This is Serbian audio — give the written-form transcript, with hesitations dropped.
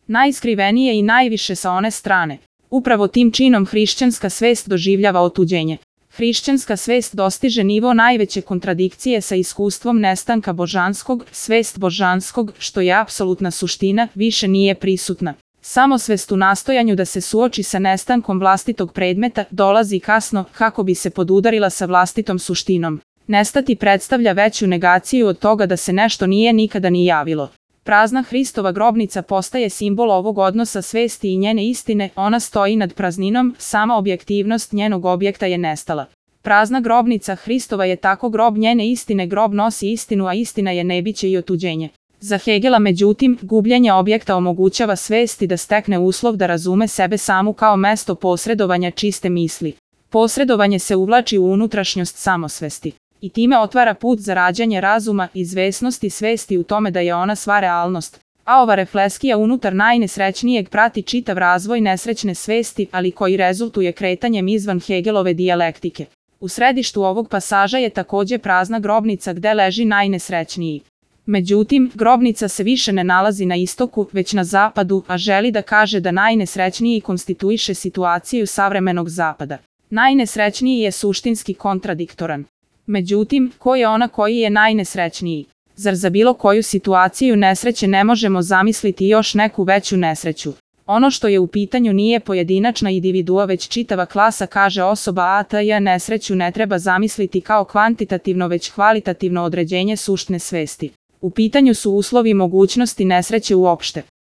najskrivenije i najviše sa one strane. Upravo tim činom hrišćanska svest doživljava otuđenje. Hrišćanska svest dostiže nivo najveće kontradikcije sa iskustvom nestanka božanskog, svest božanskog, što je apsolutna suština, više nije prisutna. Samosvest u nastojanju da se suoči sa nestankom vlastitog predmeta dolazi kasno kako bi se podudarila sa vlastitom suštinom. Nestati predstavlja veću negaciju od toga da se nešto nije nikada ni javilo. Prazna Hristova grobnica postaje simbol ovog odnosa svesti i njene istine, ona stoji nad prazninom, sama objektivnost njenog objekta je nestala. Prazna grobnica Hristova je tako grob njene istine, grob nosi istinu, a istina je nebiće i otuđenje. Za Hegela, međutim, gubljenje objekta omogućava svesti da stekne uslov da razume sebe samu kao mesto posredovanja čiste misli. Posredovanje se uvlači u unutrašnjost samosvesti i time otvara put za rađanje razuma, izvesnosti svesti u tome da je ona sva realnost. A ova reflekskija unutar najnesrećnijeg prati čitav razvoj nesrećne svesti, ali koji rezultuje kretanjem izvan Hegelove dijalektike. U središtu ovog pasaža je također prazna grobnica gde leži najnesrećniji. Međutim, grobnica se više ne nalazi na istoku, već na zapadu, a želi da kaže da najnesrećniji konstituiše situaciju savremenog zapada. Najnesrećniji je suštinski kontradiktoran. Međutim, ko je ona koji je najnesrećniji? Zar za bilo koju situaciju nesreće ne možemo zamisliti još neku veću nesreću? Ono što je u pitanju nije pojedinačna individua već čitava klasa, kaže osoba ATJ. Nesreću ne treba zamisliti kao kvantitativno već kvalitativno određenje suštine svesti. U pitanju su uslovi mogućnosti nesreće uopšte.